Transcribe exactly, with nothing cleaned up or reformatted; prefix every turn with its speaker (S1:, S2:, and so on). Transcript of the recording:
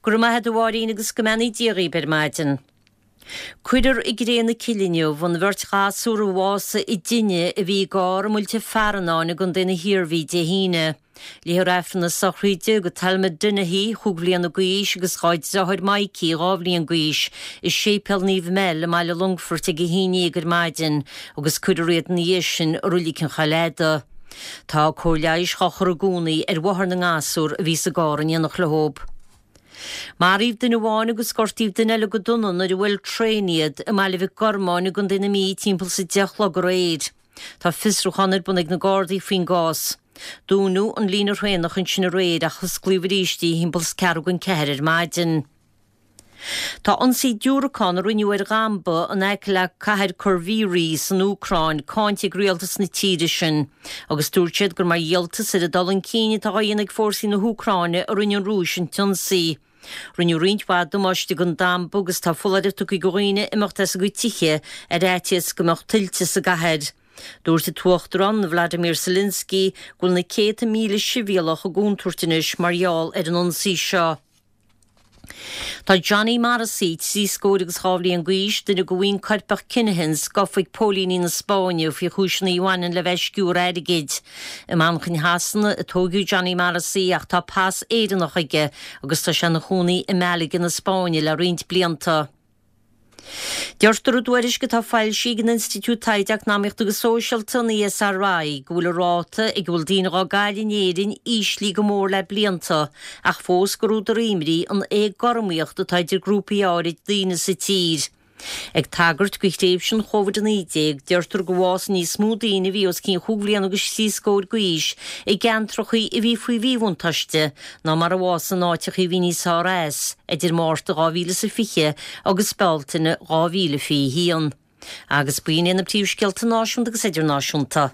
S1: Go raibh maith agat a Mháirín agus go mbeannaí Dia dhaoibh ar maidin. Cuirfear i gcré na cille inniu an bheirt ghasúr a bhásaigh i dtine a bhí i gcarr i mBuailte Fearnáin i gContae na hIarmhí Dé hAoine. Léifear Aifreann na sochraide do Thelma Dennehy, chúig bhliana d'aois agus dá deartháir Mikey, dhá bhliain d'aois, i Séipéal Naomh Mel i mBaile Longfoirt ag a haon déag ar maidin agus cuirfear iad ina dhiaidh sin i Reilig an Choill Fhada. Tá cóir leighis á chur i gcónaí ar mháthair na ngasúr a bhí sa gcarr in éineacht leo. Maraíodh duine amháin agus gortaíodh duine eile go dona nuair a bhuail traein iad i mBaile Mhic Gormáin i gContae na Mí timpeall is a deich a chlog aréir. Tá fiosrúchán ar bun ag na Gardaí faoin gcás. Dúnadh an líne thraenach ansin aréir ach osclaíodh arís í timpeall is ceathrú don ceathair ar maidin. Tá ionsaí diúracán a rinneadh ar dhamba in aice le cathair Kryvyi Rih san Úcráin cáinte ag rialtas na tíre sin, agus dúirt siad gur mar dhíoltas ar an dul chun cinn atá á dhéanamh ag fórsaí na hÚcráine a rinne an Rúis an t-ionsaí. Rinneadh roinnt mhaith damáiste don damba agus tá foláireamh tugtha do dhaoine imeacht as a gcuid tithe ar fhaitíos go mbeadh tuilte sa gcathair. Dúirt an tUachtarán Vladimir Zelensky go bhfuil na céadta míle sibhialtach i gcontúirt anois mar gheall ar an ionsaí seo. Tá Johnny Morrissey trí scór agus dhá bhliain d'aois, duine de bhuíon coirpeach Kinahans, gafa ag póilíní na Spáinne faoi chúiseanna a bhaineann le bheith ag sciúradh airgid. I Manchain Shasana a tógadh Johnny Morrissey ach tá pas Éireannach aige agus tá sé ina chónaí i Malaga na Spáinne le roinnt blianta. Deirtear i dtuairisc atá foilsithe ag an Institiúid Taighde Eacnamaíochta agus Sóisialta an ESRI go bhfuil an ráta ag a bhfuil daoine á gcailleadh in Éirinn íslithe go mór le blianta ach fós gur údar imní an éagothromaíocht atá idir grúpaí áirid daoine sa tír. Ag tagairt do thréimhse an Covid a naoi déag, deirtear gur bhásaigh níos mó daoine a bhí os cionn chúig bhliana agus trí scór d'aois i gceantracha a bhí faoi mhíbhuntáiste ná mar a bhásaigh in áiteacha a bhí níos fearr as, idir Márta dhá mhíle is a fiche agus Bealtaine dhá mhíle fiche haon. Agus b'in iad na príomhscéalta náisiúnta agus idirnáisiúnta.